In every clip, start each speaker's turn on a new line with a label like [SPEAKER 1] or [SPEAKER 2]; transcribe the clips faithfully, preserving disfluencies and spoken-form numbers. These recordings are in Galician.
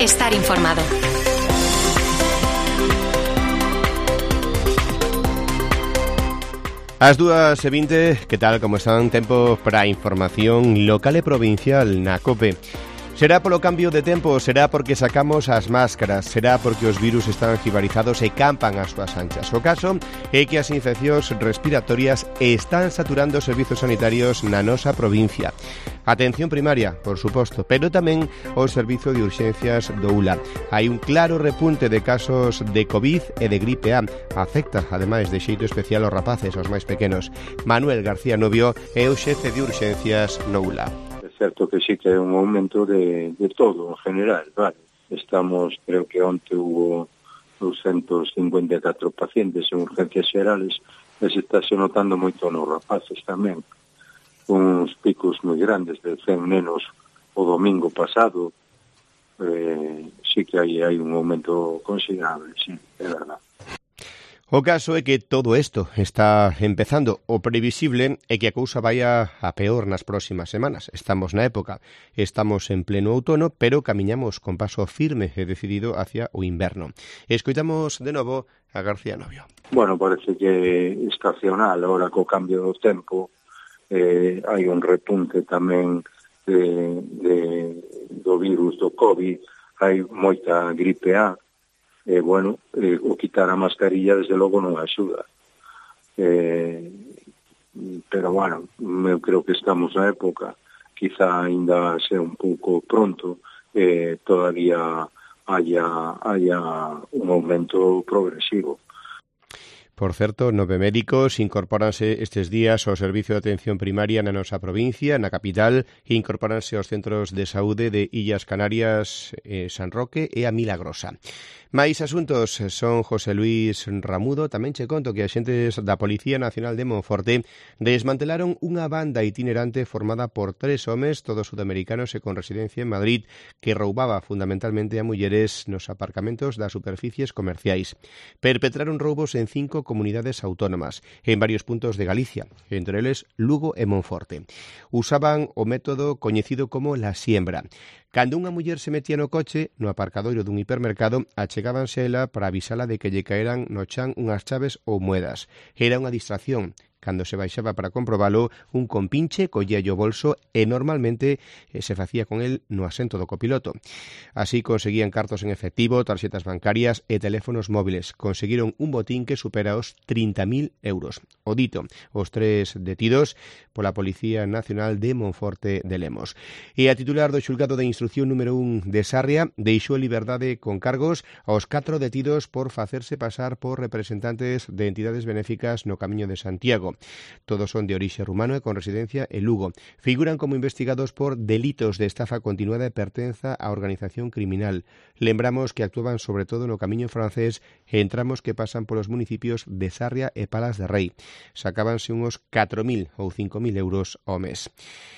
[SPEAKER 1] estar informado.
[SPEAKER 2] As dúas e vinte, que tal, como están? Tempo para a información local e provincial na COPE. Será polo cambio de tempo, será porque sacamos as máscaras, será porque os virus están jibarizados e campan as súas anchas. O caso é que as infeccións respiratorias están saturando os servizos sanitarios na nosa provincia. Atención primaria, por suposto, pero tamén o servizo de urxencias do U L A. Hai un claro repunte de casos de COVID e de gripe A. Afecta, ademais, de xeito especial aos rapaces, aos máis pequenos. Manuel García Novio é o xefe de urxencias no U L A.
[SPEAKER 3] É certo que sí que é un aumento de, de todo, en general, vale. Estamos, creo que onte hubo doscientos cincuenta e catro pacientes en urgencias xerales, e se está se notando moito nos rapaces tamén. Uns picos moi grandes de cen nenos o domingo pasado, eh, sí que hai, hai un aumento considerable, sí, é verdade.
[SPEAKER 2] O caso é que todo isto está empezando. O previsible é que a cousa vaya a peor nas próximas semanas. Estamos na época, estamos en pleno outono, pero camiñamos con paso firme e decidido hacia o inverno. Escoitamos de novo a García Novio.
[SPEAKER 3] Bueno, parece que estacional, ahora co cambio do tempo, eh, hai un repunte tamén de, de, do virus do COVID, hai moita gripe A, e, eh, bueno, eh, o quitar a mascarilla, desde logo, non axuda. Eh, pero, bueno, eu creo que estamos na época, quizá ainda sea un pouco pronto, eh, todavía haya, haya un aumento progresivo.
[SPEAKER 2] Por certo, nove médicos incorpóranse estes días ao Servicio de Atención Primaria na nosa provincia, na capital, e incorpóranse aos centros de saúde de Illas Canarias, eh, San Roque e a Milagrosa. Mais asuntos son José Luis Ramudo. Tamén che conto que axentes da Policía Nacional de Monforte desmantelaron unha banda itinerante formada por tres homes, todos sudamericanos e con residencia en Madrid, que roubaba fundamentalmente a mulleres nos aparcamentos das superficies comerciais. Perpetraron roubos en cinco comunidades autónomas, en varios puntos de Galicia, entre eles Lugo e Monforte. Usaban o método coñecido como la siembra. Cando unha muller se metía no coche, no aparcadoiro dun hipermercado, achegábanse a ela para avisala de que lle caeran no chan unhas chaves ou moedas. Era unha distracción. Cando se baixaba para comprobalo, un compinche collía o bolso e normalmente eh, se facía con el no asento do copiloto. Así conseguían cartos en efectivo, tarxetas bancarias e teléfonos móviles. Conseguiron un botín que supera os trinta mil euros. O dito, os tres detidos pola Policía Nacional de Monforte de Lemos. E a titular do xulgado de instrucción número un de Sarria deixou en liberdade con cargos aos catro detidos por facerse pasar por representantes de entidades benéficas no Camiño de Santiago. Todos son de orixe rumano e con residencia en Lugo. Figuran como investigados por delitos de estafa continuada e pertenza á organización criminal. Lembramos que actuaban sobre todo no Camiño francés e en tramos que pasan polos municipios de Sarria e Palas de Rei. Sacábanse uns catro mil ou cinco mil euros ao mes.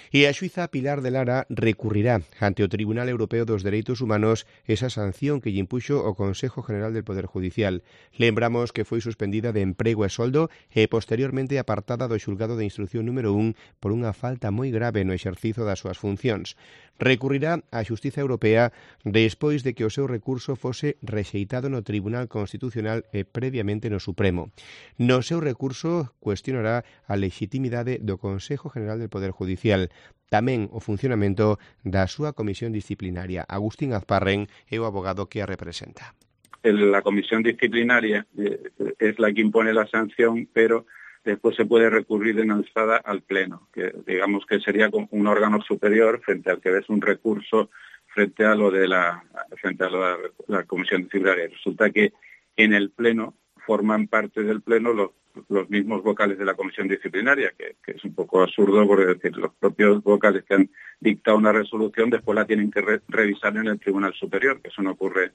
[SPEAKER 2] E a xuíza Pilar de Lara recurrirá ante o Tribunal Europeo dos Dereitos Humanos esa sanción que lle impuxo o Consejo General del Poder Judicial. Lembramos que foi suspendida de emprego e soldo e posteriormente apartada do xulgado de instrucción número un por unha falta moi grave no exercizo das súas funcións. Recurrirá á Xustiza Europea despois de que o seu recurso fose rexeitado no Tribunal Constitucional e previamente no Supremo. No seu recurso cuestionará a legitimidade do Consejo General del Poder Judicial, tamén o funcionamento da súa comisión disciplinaria. Agustín Azparren é o abogado que a representa.
[SPEAKER 4] La comisión disciplinaria es la que impone la sanción, pero después se puede recurrir en alzada al Pleno, que digamos que sería un órgano superior frente al que ves un recurso frente a lo de la frente a lo de la comisión disciplinaria. Resulta que en el Pleno forman parte del Pleno los los mismos vocales de la comisión disciplinaria, que, que es un poco absurdo porque decir, los propios vocales que han dictado una resolución después la tienen que re revisar en el Tribunal Superior, que eso no ocurre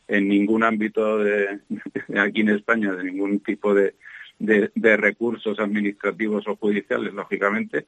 [SPEAKER 4] en ningún ámbito de, de aquí en España, de ningún tipo de, de, de recursos administrativos o judiciales, lógicamente.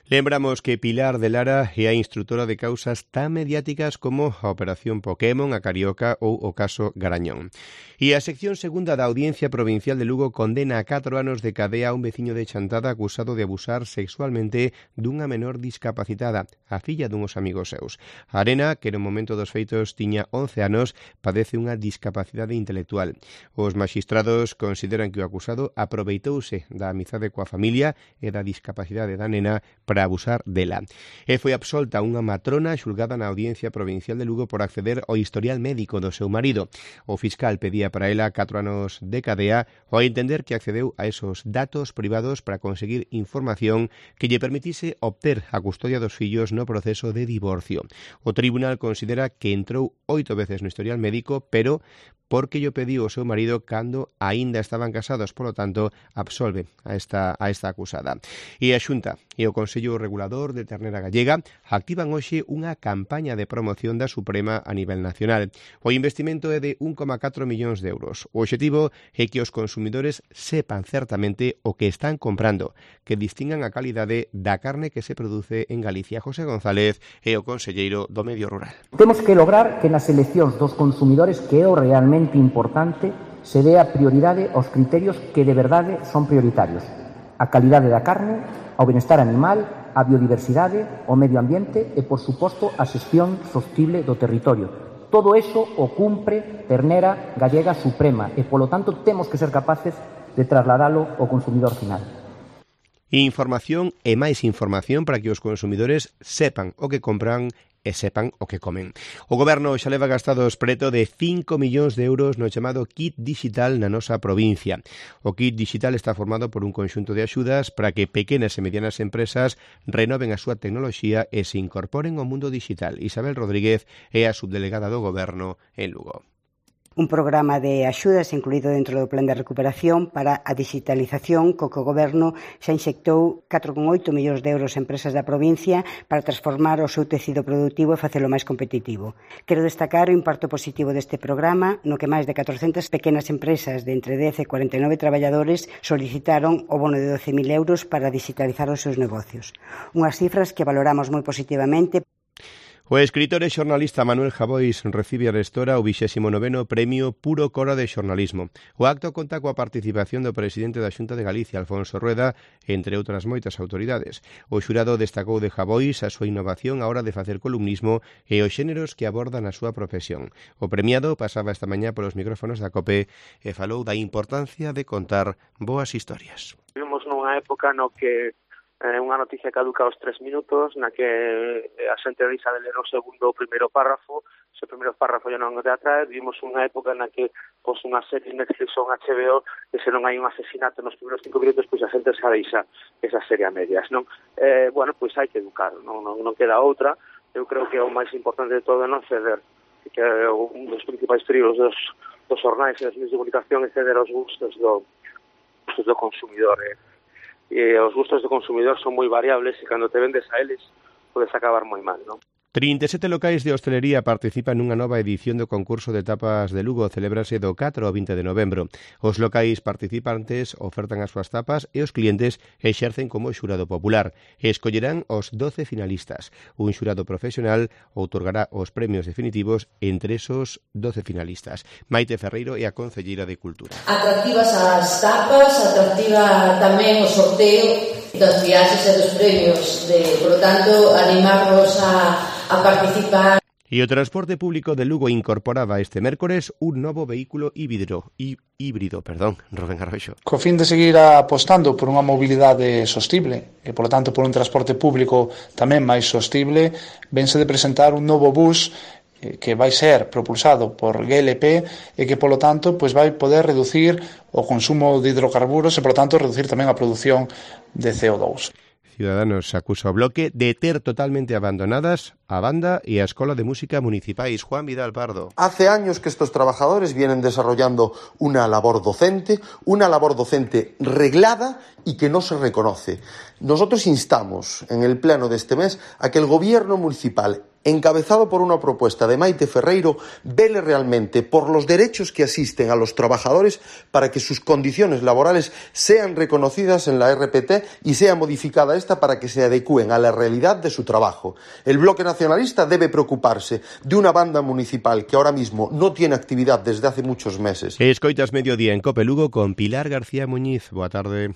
[SPEAKER 2] Lembramos que Pilar de Lara é a instrutora de causas tan mediáticas como a Operación Pokémon, a Carioca ou o caso Garañón. E a sección segunda da Audiencia Provincial de Lugo condena a catro anos de cadea a un veciño de Chantada acusado de abusar sexualmente dunha menor discapacitada, a filla duns amigos seus. A Arena, que no momento dos feitos tiña once anos, padece unha discapacidade intelectual. Os maxistrados consideran que o acusado aproveitouse da amizade coa familia e da discapacidade da nena para abusar dela. E foi absolta unha matrona xulgada na Audiencia Provincial de Lugo por acceder ao historial médico do seu marido. O fiscal pedía para ela catro anos de cadea ao entender que accedeu a esos datos privados para conseguir información que lle permitise obter a custodia dos fillos no proceso de divorcio. O tribunal considera que entrou oito veces no historial médico, pero porque llo pediu o seu marido cando aínda estaban casados, polo tanto, absolve a esta, a esta acusada. E a Xunta e o Consello Regulador de Ternera Gallega activan hoxe unha campaña de promoción da Suprema a nivel nacional. O investimento é de un coma catro millóns de euros. O obxectivo é que os consumidores sepan certamente o que están comprando, que distingan a calidade da carne que se produce en Galicia. José González é o conselleiro do Medio Rural.
[SPEAKER 1] Temos que lograr que nas eleccións dos consumidores, que é o realmente importante, se dé a prioridade aos criterios que de verdade son prioritarios: a calidade da carne, ao benestar animal, a biodiversidade, o medio ambiente e, por suposto, a xestión sostible do territorio. Todo eso o cumpre Ternera Gallega Suprema e, polo tanto, temos que ser capaces de trasladalo ao consumidor final.
[SPEAKER 2] Información e máis información para que os consumidores sepan o que compran e sepan o que comen. O Goberno xa leva gastados preto de cinco millóns de euros no chamado Kit Digital na nosa provincia. O Kit Digital está formado por un conxunto de axudas para que pequenas e medianas empresas renoven a súa tecnoloxía e se incorporen ao mundo digital. Isabel Rodríguez é a subdelegada do Goberno en Lugo.
[SPEAKER 5] Un programa de axudas incluído dentro do Plan de Recuperación para a digitalización co que o Goberno xa inxectou catro coma oito millóns de euros en empresas da provincia para transformar o seu tecido productivo e facelo máis competitivo. Quero destacar o impacto positivo deste programa no que máis de catrocentas pequenas empresas de entre dez e cuarenta e nove traballadores solicitaron o bono de doce mil euros para digitalizar os seus negocios. Unhas cifras que valoramos moi positivamente.
[SPEAKER 2] O escritor e xornalista Manuel Javois recibe arestora o vixésimo noveno Premio Puro Cora de Xornalismo. O acto conta coa participación do presidente da Xunta de Galicia, Alfonso Rueda, entre outras moitas autoridades. O xurado destacou de Javois a súa innovación a hora de facer columnismo e os xéneros que aborda na súa profesión. O premiado pasaba esta mañá polos micrófonos da COPE e falou da importancia de contar boas historias.
[SPEAKER 6] Vivimos nunha época no que Eh, unha noticia caduca aos tres minutos, na que a xente deixa de ler o segundo ou primeiro párrafo, se o primeiro párrafo ya non te atrae. Vivimos unha época na que pois, unha serie Netflix ou un H B O, que se non hai un asesinato nos primeiros cinco minutos, pois a xente xa deixa esa serie a medias, non? Eh, bueno, pois hai que educar, non, non, non queda outra. Eu creo que o máis importante de todo é non ceder, que é un dos principais perigos dos, dos xornais e dos medios de comunicación é ceder aos gustos do, gustos do consumidor, eh. E os gustos do consumidor son moi variables e cando te vendes a eles podes acabar moi mal, non?
[SPEAKER 2] trinta e sete locais de hostelería participan nunha nova edición do concurso de tapas de Lugo. Celébrase do catro ao vinte de novembro. Os locais participantes ofertan as súas tapas e os clientes exercen como xurado popular. Escollerán os doce finalistas. Un xurado profesional outorgará os premios definitivos entre esos doce finalistas. Maite Ferreiro é a concelleira de Cultura.
[SPEAKER 7] Atractivas as tapas, atractiva tamén o sorteo das viaxes e dos premios. De, por lo tanto, animarnos a a participar.
[SPEAKER 2] E o transporte público de Lugo incorporaba este mércores un novo vehículo híbrido, hí, híbrido, perdón, Rubén Arroxo.
[SPEAKER 8] Co fin de seguir apostando por unha mobilidade sostible e, polo tanto, por un transporte público tamén máis sostible, vense de presentar un novo bus que vai ser propulsado por G L P e que, polo tanto, pois vai poder reducir o consumo de hidrocarburos e, polo tanto, reducir tamén a produción de C O dous.
[SPEAKER 2] Ciudadanos acusa o Bloque de ter totalmente abandonadas a banda y a Escola de Música Municipais. Juan Vidal Pardo.
[SPEAKER 9] Hace años que estos trabajadores vienen desarrollando una labor docente, una labor docente reglada y que no se reconoce. Nosotros instamos en el pleno de este mes a que el Gobierno municipal encabezado por una propuesta de Maite Ferreiro, vele realmente por los derechos que asisten a los trabajadores para que sus condiciones laborales sean reconocidas en la R P T y sea modificada esta para que se adecúen a la realidad de su trabajo. El Bloque Nacionalista debe preocuparse de una banda municipal que ahora mismo no tiene actividad desde hace muchos meses.
[SPEAKER 2] Escoitas Mediodía en COPE Lugo con Pilar García Muñiz. Boa tarde.